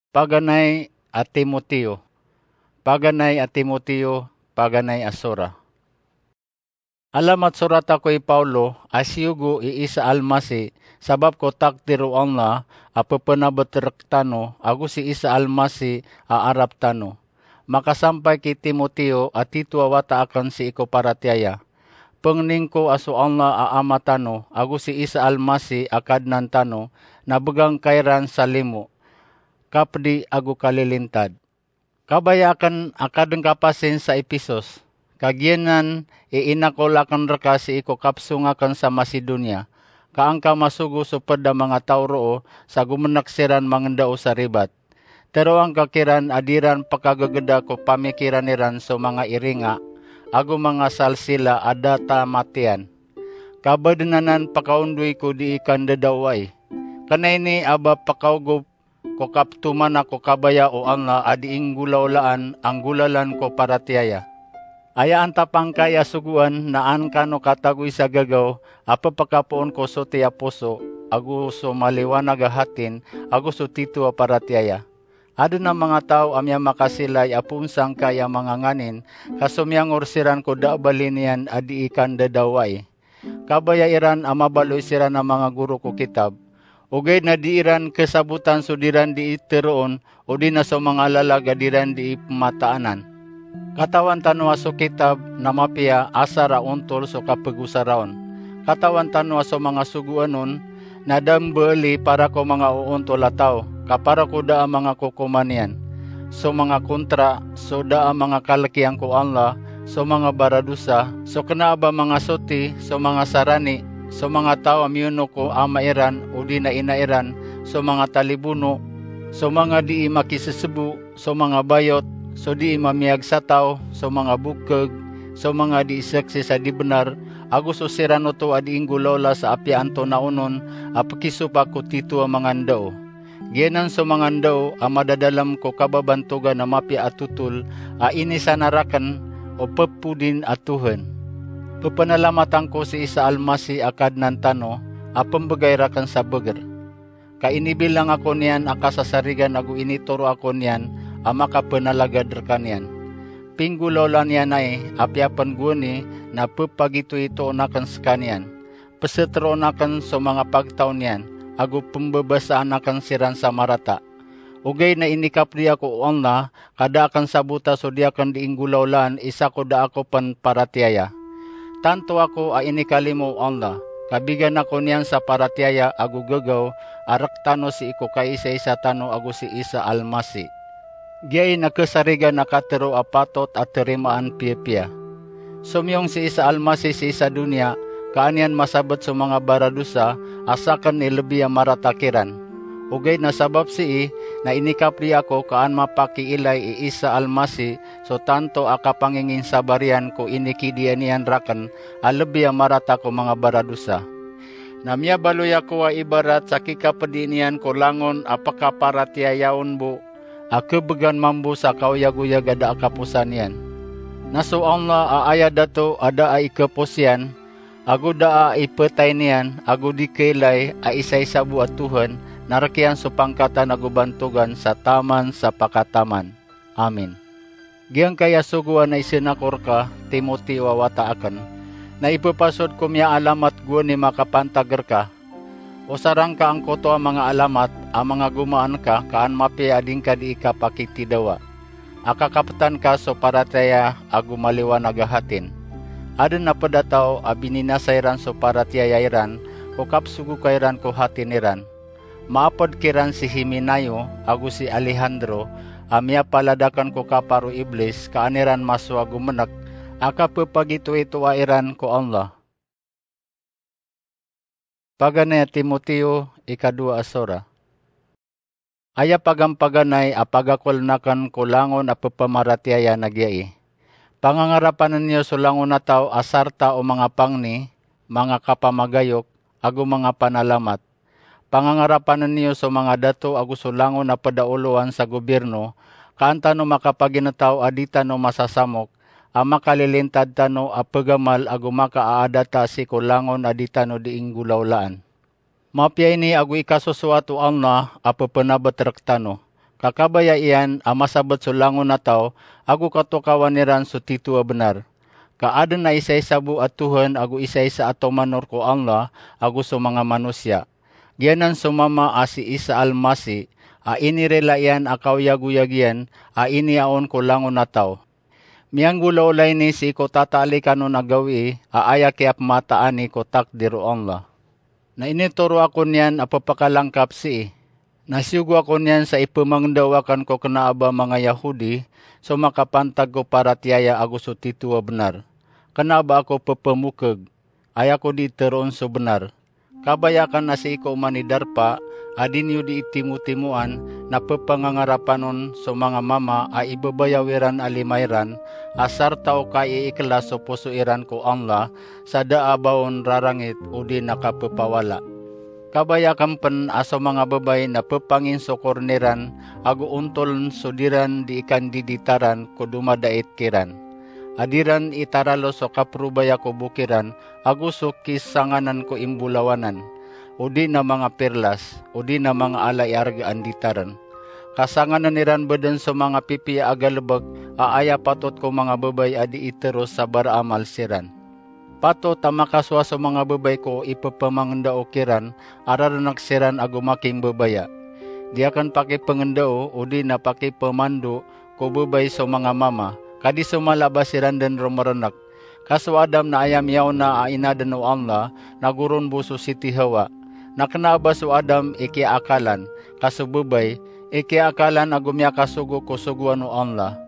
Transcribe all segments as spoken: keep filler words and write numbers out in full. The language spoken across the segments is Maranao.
Paganay a Timoteo. Paganay a Timoteo, paganay a sora. Alamat sorata ko i Paulo, a siyogo i Isa Almasi, sabap ko takdir o Allah a pepenabet rektano, ago si Isa Almasi a arap tano. Makasampay ki Timoteo a tito a wata aken sii ko paratiyaya. Pengning ko a so Allah a Ama tano, ago si Isa Almasi a Kadnan tano, na begang ka iran sa limo, kapedi ago kalilintad. Kabaya aken a kaden ka pasin sa Episos, ka giyanan i inakol aken reka sii ko kapsong aken sa Macedonia, ka angka masogo so ped a manga taw roo sa gomenek siran mangendao sa ribat. Teroang ka kiran a di iran pekagegeda ko pamikiran iran so manga iringa, ago manga salsila a da tamatiyan. Ka baden anan pekaondoy ko dii kandadawai. Kena ini a ba pekaogop ko kaptomana ko kabaya o Allah a dii nggolaolaan a nggolalan ko paratiyaya. Aya antapangkai a sogoan na an kano katagoy sa gagaw a pepekapoon ko soti a poso, ago so maliwanag a hatin, ago so tito a paratiyaya. Aden a manga taw a miyamakasilay a poon sangkai a manga nganin, ka somiyangor siran ko da a bali niyan a dii kandadawai. Kabaya iran a mabaloy siran a manga goro ko kitab. Ogaid na di iran kesabotan so di ran dii teroon, odi na so manga lalag a di ran dii pemataanan. Katawan tano a so kitab na mapiya asar a ontol so kapegosara on. Katawan tano a so manga sogoan on na da mbeeli para ko manga oontol a taw, ka para ko da a manga kokoman iyan. So manga kontra, so da a manga kalekiyan ko Allah, so manga baradosa, so kena a ba manga soti, so manga sarani, so manga taw a miyono ko ama iran odi na ina iran, so manga talibono, so manga dii makisesebo, so manga bayot, so dii mamiyag sa taw, so manga bokeg, so manga dii seksi sa di benar, ago so siran oto a dii nggolaola sa apiya antonaa onon a pekisopak ko tito a manga ndao. Giyanan so manga ndao a madadalem ko kababantogan a mapiya a totol a inisanar aken o pepodin a Tohan. Pepenalamatan ko si Isa Almasi a Kadnan tano a pembegay raken sa beger. Ka inibilang ako niyan a kasasarigan ago initoro ako niyan a makapenalagad rekaniyan. Pinggolaola niyan ai, apiya pen gowani na pepagitoitoon aken sekaniyan. Peseteroon aken so manga pagtaw niyan, ago pembebasaan aken siran sa marata. Ogaid na inikapedi ako o Allah, ka da aken sabota so di aken dii nggolaolaan isa ko da ako pen paratiyaya. Tanto ako a inikalimo o Allah, ka bigan ako niyan sa paratiyaya ago gagaw a rektano sii ko kaisaisa tano ago si Isa Almasi. Giyai na kesarigan a katero a patot a terimaan piyapiya. Somiyong si Isa Almasi sii sa doniya, ka an iyan masabet so manga baradosa a saken i lebi a marata kiran. Ogaid na sabap sii na inikapedi ako ka an mapakiilay i Isa Almasi so tanto a kapanginginsabar iyan ko inikidiya niyan raken a lebi a marata ko manga baradosa. Na miyabaloy ako a ibarat sa kikapedi niyan ko langon a pekaparatiyayaon bo a kebegan mambo sa kaoyagoyag a da a kaposan iyan. Na so Allah a aya dato a da a ikepos iyan, ago da a ipetay niyan, ago di kailay a isaisa bo a Tohan, na rekiyan so pangkatan ago bantogan sa taman sa pakataman. Amin. Giyangkaya sogoan a isen ako reka, Timoteo a wata aken, na ipepasod ko miyaalamat gowani makapantag reka. Osarang ka angkoto a manga alamat a manga gomaan ka, ka an mapiya a di ngka dii kapakitidawa a kakapetan ka so paratiyaya ago maliwanag a hatin. Aden a ped a taw a bininasa iran so paratiyaya iran ko kapsogoka iran ko hatin iran. Maaped kiran si Himenayo ago si Alejandro a miyapalad aken ko kapar o Iblis, ka an iran masowa gomenek a kapepagitoitoa iran ko Allah. Paganay a Timoteo, ikadowa a sora. Aya pagampaganay a pagakolen aken ko langon a pepamaratiyaya na giyai: Pangangarapanen iyo so langon a taw a sarta o manga pangni, manga kapamagayok, ago manga panalamat. Pangangarapanen iyo so manga dato ago so langon a pedaolowan sa gobirno, ka an tano makapaginetaw a di tano masasamok, a makalilintad tano a pegamal ago makaaadata sii ko langon a di tano dii nggolaolaan. Mapiya ini ago ikasosoat o Allah a pepenabet rektano, Ka kabaya iyan a masabet so langon a taw ago katokawan iran so tito a benar. Ka aden a isaisa bo a Tohan ago isaisa a tomanor ko Allah ago so manga manosiya. Giyanan so Mama a si Isa Al-Masih, a inirila iyan a kaoyagoyag iyan a iniyaon ko langon a taw. Miyanggolaola ini sii ko tataalikanon a gawii a aya kiyapmataan i ko takdir o Allah. Na initoro ako niyan a pepakalangkap sii. Na siyogo ako niyan sa ipemangndao aken ko kena a ba manga Yahudi so makapantag ko paratiyaya ago so tito a benar. Kena a ba ako pepemokeg, aya ko di teroon so benar. Kabaya aken a sii ko oman i darpa a di niyo di itimotimoan na pepangangarapan on so manga mama a ibebayaw iran a lima iran, a sarta o kaiiklas so poso iran ko Allah, sa da a ba on rarangit odi na kapepawala. Kabaya aken pen a so manga bebay na pepanginsokoren iran ago ontolen so diran di ikandiditaran ko domadait kiran. A diran itaralo so kaprobaya ko bokiran ago so kisanganan ko imbolawanan, odi na manga pirlas, odi na manga ala i argaan di taren. Kasanganan iran beden so manga pipiya a galebek a aya patot ko manga bebay a di iteros sa baraamal siran. Patot a makasowa so manga bebay ko ipepamangndao kiran a rarenek siran ago makimbebaya. Di aken pakipengndao odi na pakipemando ko bebay so manga mama, ka di so mala a ba siran den romerenek. Ka so Adam na aya miyaona a inaden o Allah na goron bo so siti Hawa. Na kena a ba so Adam i kiyaakalan, ka so bebay i kiyaakalan ago miyakasogo ko sogoan o Allah.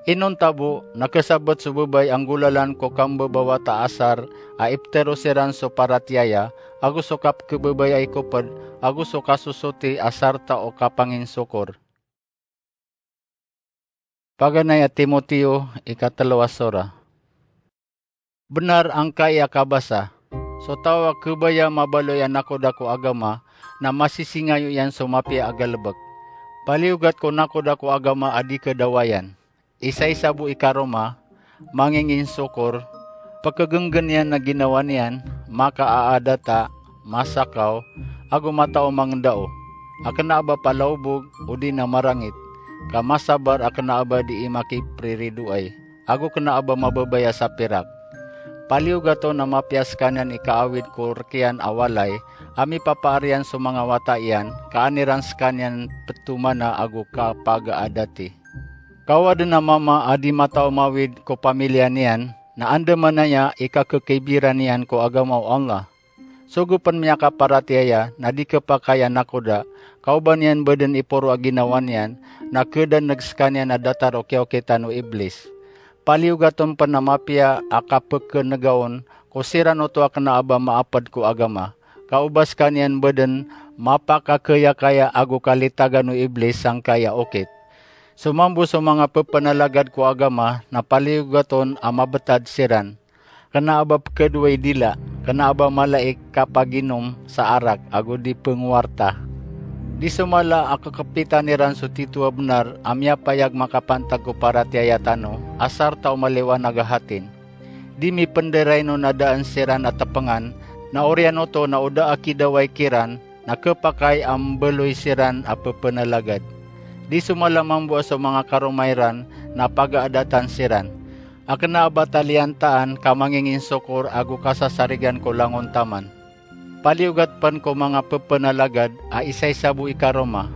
Inonta bo na kesabet so bebay a nggolalan ko kambebawata a asar a ipetero siran so paratiyaya, ago so kapekebebay a ikoped, ago so kasosoti a sarta o kapanginsokor. Paganay a Timoteo, ikatelo a sora. Benar angkai a kabasa. So taw a kebaya mabaloy a nakoda ko agama na masisingayo iyan so mapiya a galebek. Paliyogat ko nakoda ko agama a di kedawayan. Isaisa bo i karoma, manginginsokor, pekegenggen iyan a ginawa niyan, makaaadata, masakaw, ago mataw a mangndao, a kena a ba palaobog, odi na marangit, ka masabar a kena a ba di imakipriridoay, ago kena a ba mabebaya sa pirak. Paliyogat on a mapiya sekaniyan i kaawid ko rekiyan a walay, a mipapaariyan so manga wata iyan, ka an iran sekaniyan petomana ago kapagaadati. Kaw aden a mama a di mataw mawid ko pamiliya niyan, na andamanaya i kakekibiran iyan ko agama o Allah. Sogo pen miyakaparatiyaya na di kepakay a nakoda, ka oba niyan beden iporo a ginawa niyan, na kedaneg sekaniyan a datar o kiyaokitan o Iblis. Paliyogat on pen a mapiya a kapekenegaon ko siran oto a kena a ba maaped ko agama. Ka oba sekaniyan beden mapakakeyakaya ago kalitagan o Iblis sangkai a okit. So mambo so manga pepenalagad ko agama na paliyogat on a mabetad siran. Kena a ba pekedowa i dila, kena a ba mala i kapaginom sa arak ago di pengowarta. Di so mala a kekepitan iran so tito a benar a miyapayag makapantag ko paratiyaya tano, a sarta o maliwanag a hatin. Di mipenderaino na daan siran a tepengan, na oriyan oto na o da a kidaway kiran, na kepakay a mbeloy siran a pepenalagad. Di so mala mambo a so manga karoma iran na pagaadatan siran. A kena a ba taliyantaan ka manginginsokor ago kasasarigan ko langon taman. Paliyogat pen ko manga pepenalagad a isaisa bo i karoma,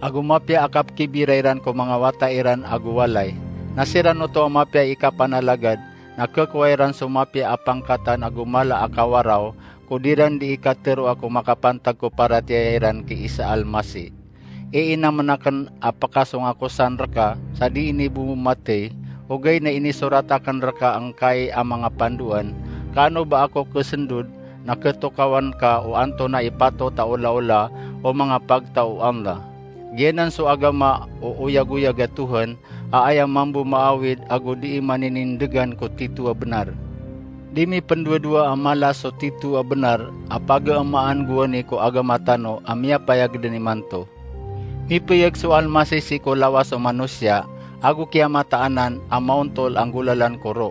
ago mapiya a kapekibira iran ko manga wata iran ago walay. Na siran oto a mapiya i kapanalagad, na kekowa iran so mapiya a pangkatan ago mala a kawaraw, ko diran di ikateroa ko makapantag ko paratiyaya iran ki Isa Almasi. Iinamen aken a pekasong ako san reka, sa di ini bo matey, ogaid na inisorat aken reka angkai a manga pandoan, ka ano ba ako kesendod, na ketokawan ka o antonaa i patot a olaola o manga pagtaw o Allah. Giyanan so agama o oyagoyag a Tohan, a aya mambo maawid ago dii maninindegan ko tito a benar. Di mipendowadowa a mala so tito a benar a pagaemaan gowani ko agama tano a miyapayag den imanto. Mipeyag so Almasi sii ko lawas o manosiya ago kiyamataanan a maontol a nggolalan ko ro.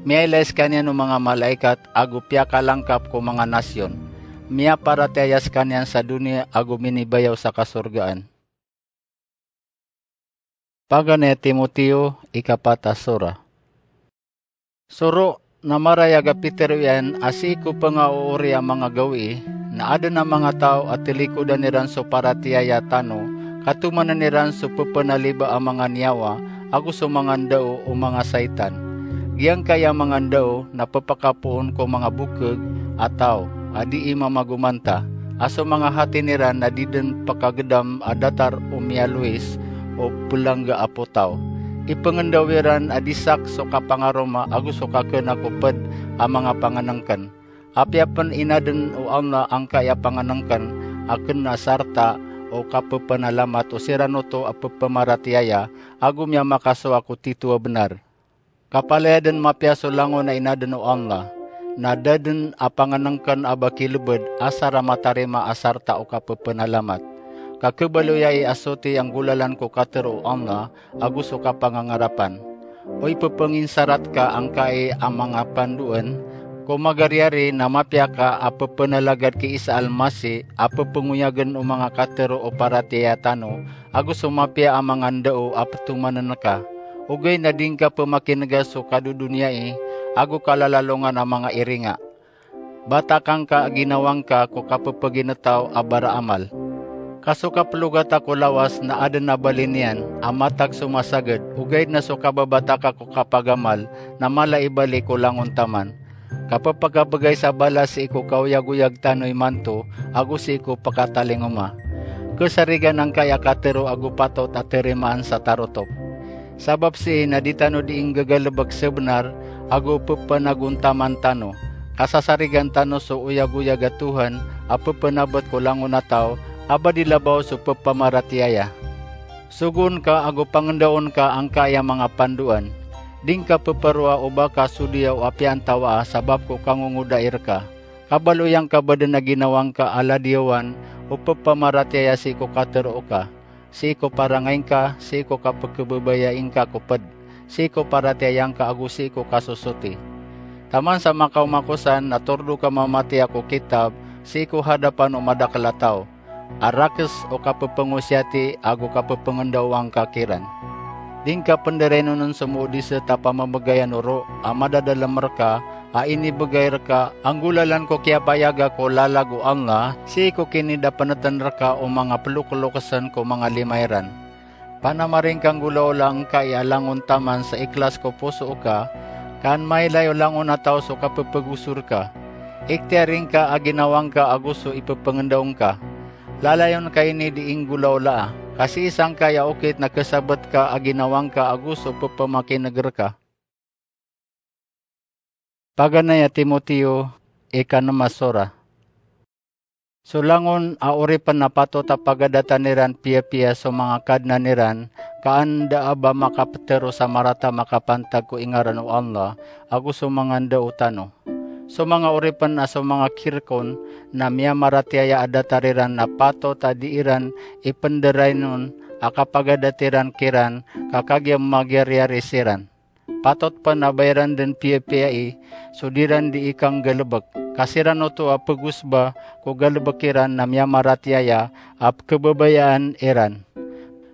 Miyailay sekaniyan o manga malaikat ago piyakalangkap ko manga nasiyon. Miyaparatiyaya sekaniyan sa doniya ago minibayaw sa kasorgaan. Paganay a Timoteo, ikapat a sora. Soro, na marayag a pitharo iyan a sii ko pngaoori a manga gawii, na adn a manga taw a tlikodan iran so paratiyaya tano, ka tomanan iran so pphanaliba a manga niyawa, ago so manga ndao o manga saitan. Giyangkaya manga ndao na ppakapoon ko manga bokg a taw a dii mamagomanta, a so manga hati niran na di dn pkagdam a datar o miyalowis o plangga a potaw. Ipngndaw iran a disak so kapangaroma ago so kakna ko pd a manga pangnngkn. Apiya pn inadn o Allah angkai a pangnngkn a kna sarta o kapphanalamat o siran oto a pphamaratiyaya ago miyamakasowa ko titho a bnar. Kapalaya dn mapiya so langon a inadn o Allah, na da dn a pangnngkn a ba kilbd asar a matarima a sarta o kapphanalamat. Ka khabaloy ai a soti a nggolalan ko katharo o Allah ago so kapangangarapan. O ipphangsarat ka angkai a manga pandoan, ko magariyari na mapiya ka a pphanalagad ki Isa Almasih a pphangoyagn o manga katharo o paratiyaya tano, ago so mapiya a manga ndao a ptomanan ka. Ogaid na di ngka pmakinga so kadodoniyai ago kalalalongan a manga iringa. Batakan ka a ginawa ngka ko kapphagintataw a baraamal. Ka so kaplogata ko lawas na adn a bali niyan a matag so masagad, ogaid na so kababataka ko kapagamal na mala i bali ko langon taman. Ka pphakabgay sa balas sii ko kaoyagoyag tano imanto ago sii ko pkatalingoma. Khasarigan angkai a katharo ago patot a tarimaan sa tarotop. Sabap sii na di tano dii nggagalbk sa bnar ago pphanagontaman tano. Kasasarigan tano so oyagoyag a Tohan a pphanabt ko langon a taw a ba di labaw so pphamaratiyaya. Sogoon ka ago pangndaon ka angkai a manga pandoan. Di ngka pphroa o ba ka sodiya o apiya antawaa sabap ko kangongodai rka. Kabaloy angka ba dn a ginawa ngka a ladiyawan o pphamaratiyaya sii ko katharo ka, sii ko parangay ngka, sii ko kapkhababayai ngka ko pd, sii ko paratiyaya ngka ago sii ko kasosoti. Taman sa makaoma ko san na tordo ka mamatiya ko kitab sii ko hadapan o madakl a taw, a rakes o kapphangosiyati ago kapphangndaoa ngka kiran. Di ngka pndraynon on so moodisat a pamamgayan o ro a madadalm rka a inibgay rka a nggolalan ko kiyapayaga ko lalag o Allah sii ko kinidapntn rka o manga ploklokesn ko manga lima iran. Panamaring ka nggolaola angkai a langon taman sa iklas ko poso ka, ka an mailay o langon a taw so kapphagosor ka. Iktiyaring ka a ginawa ngka ago so ipphangndao ngka. Lalayon ka ini dii nggolaolaa, ka sii sangkai a okit na khasabt ka a ginawa ngka ago so pphamakin'g rka. Paganay a Timoteo, ikanm a sora. So langon a oripn na patot a pagadatan iran piyapiya so manga kadnan iran, ka an da a ba makaptharo sa marata makapantag ko ingaran o Allah, ago so manga ndao tano. So manga oripn a so manga khirkon na miyamaratiyaya a datar iran na patot a dii ran ipndraynon a kapagadat iran kiran ka kagiya magiyariyari siran. Patot pn a ba iran dn piyapiyai so di ran dii kanggalbk, ka siran oto a pgosba ko galbk iran na miyamaratiyaya a pkhababayaan iran.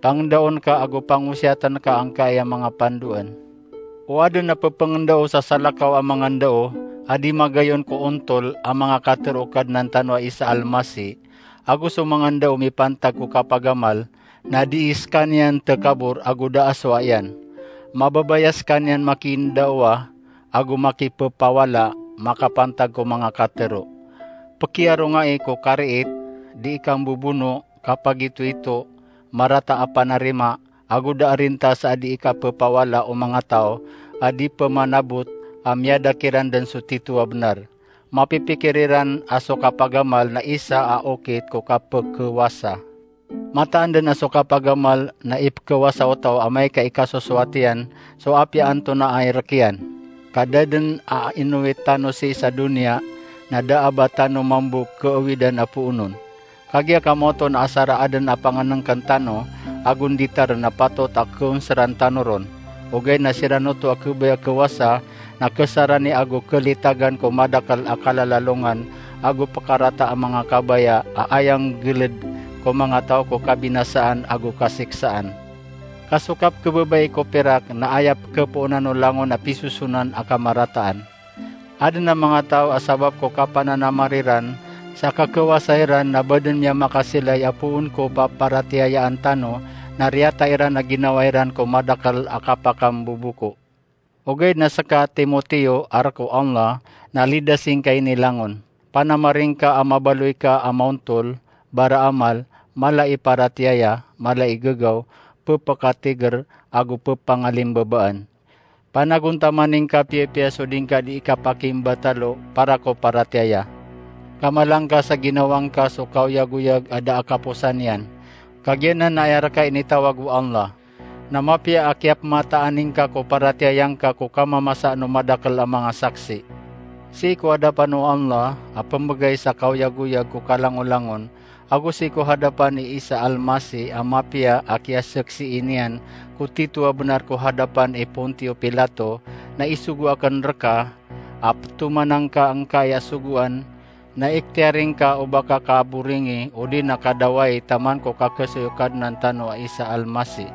Pangndaon ka ago pangosiyatn ka angkai a manga pandoan. O adn a pphangndaw sa salakaw a manga ndao a di magayon ko ontol a manga katharo o Kadnan tano a Isa Almasih, ago so manga ndao mipantag ko kapagamal, na dii skaniyan takabor ago da a sowa iyan. Mababaya skaniyan makiindaowa ago makipphawala makapantag ko manga katharo. Pkhiyarongai ko kariit, dii kambobono, kapagitoito, marata a panarima, ago da a rintas a dii kapphawala o manga taw a di pmanabot a miyada kiran dn so tito a bnar. Mapipikir iran a so kapagamal na isa a okit ko kapkhawasa. Mataan dn a so kapagamal na ipkhawasa o taw amay ka ikasosowat iyan so apiya antonaa i rk iyan. Ka da dn a inowit tano sii sa doniya na da a ba tano mambo khaawidan a poonon. Kagiya kamoto na asar a adn a pangnngkn tano ago nditar na patot a khaonsran tano ron. Ogaid na siran oto a khabaya khawasa na khasarani ago khalitagan ko madakl a kalalalongan ago pkarata a manga kabaya a aya nggled ko manga taw ko kabinasaan ago kasiksaan. Ka so kapkhababaya ko pirak na aya pkhapoonan o langon a pisosonan a kamarataan. Adn a manga taw a sabap ko kapananamar iran sa kakawasa iran na ba dn miyamakasilay a poon ko paparatiyayaan tano na riyata iran a ginawa iran ko madakl a kapakamboboko. Ogaid na ska, Timoteo a rk o Allah, na lidasi ngka ini langon. Panamari ngka a mabaloy ka a maontol, baraamal, mala i paratiyaya, mala i gagaw, pphakatigr, ago pphangalimbabaan. Panagontamani ngka piyapiya so di ngka dii kapakimbatalo para ko paratiyaya. Kamala ngka sa ginawa ngka so kaoyagoyag a da a kaposan iyan. Kagiya nan na aya rka initawag o Allah. Na mapiya a kiyapmataan ingka ko paratiyaya ngka ko kamamasan o madakl a manga saksi. Sii ko hadapan o Allah a pmbgay sa kaoyagoyag ko kalangolangon, ago sii ko hadapan i Isa Almasih a mapiya a kiyasaksii niyan ko tito a bnar ko hadapan i Pontio Pilato, na isogo akn rka a ptoman angka angkai a sogoan, na ikhtiyari ngka o ba ka kaboringi odi na kadawai taman ko kakhasoy o Kadnan tano a Isa Almasih.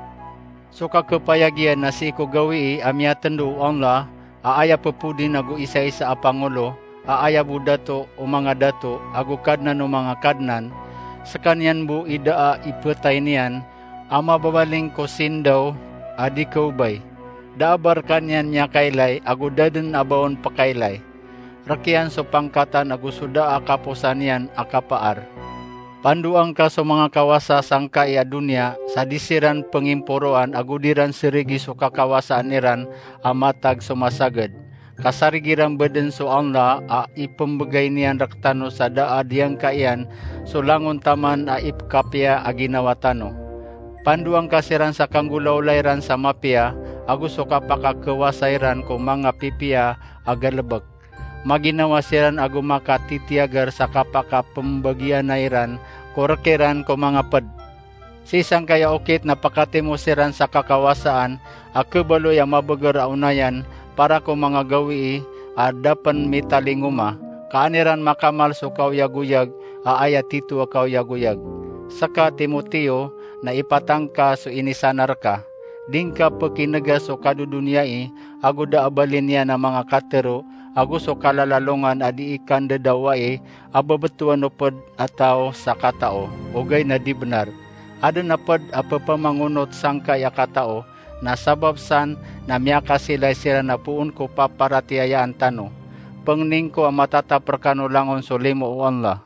So kakhapayag iyan na sii ko gawii a miyatndo o Allah a aya pphodin ago isaisa a pangolo, a aya bo dato o manga dato ago kadnan o manga kadnan, skaniyan bo i da a iphtay niyan a mababaling ko sindaw a di khaobay. Da a ba rkaniyan miyakailay ago da dn a ba on pkailay. Rk iyan so pangkatan ago so da a kaposan iyan a kapaar. Pandoa ngka so manga kawasa sangkai a doniya sa di siran pngimporoan ago di ran srigi so kakawasaan iran a matag so masagd. Ka sarig iran ba dn so Allah a ipmbgay niyan rktano sa da a diyangka iyan so langon taman a ipkhapiya a ginawa tano. Pandoa ngka siran sa kanggolawla iran sa mapiya ago so kapakakhawasa iran ko manga pipiya a galbk. Maginawa siran ago makatitiyagar sa kapakapmbagiyanay iran ko rk iran ko manga pd. Sii sangkai a okit na pakatimo siran sa kakawasaan a khabaloy a mabagr a onayan para ko manga gawii a da pn mitalingoma, ka an iran makamal so kaoyagoyag a aya tito a kaoyagoyag. Ska, Timoteo, na ipatang ka so inisanar ka. Di ngka pkinega so kadodoniyai ago da a bali niyan a manga katharo, ago so kalalalongan a dii kandadawai a babtowan o pd a taw sa katao, ogaid na di bnar. Adn a pd a pphamangonot sangkai a katao, na sabap san na miyakasilay siran a poon ko paparatiyayaan tano. Pngnin ko a matatap rkano langon so limo o Allah.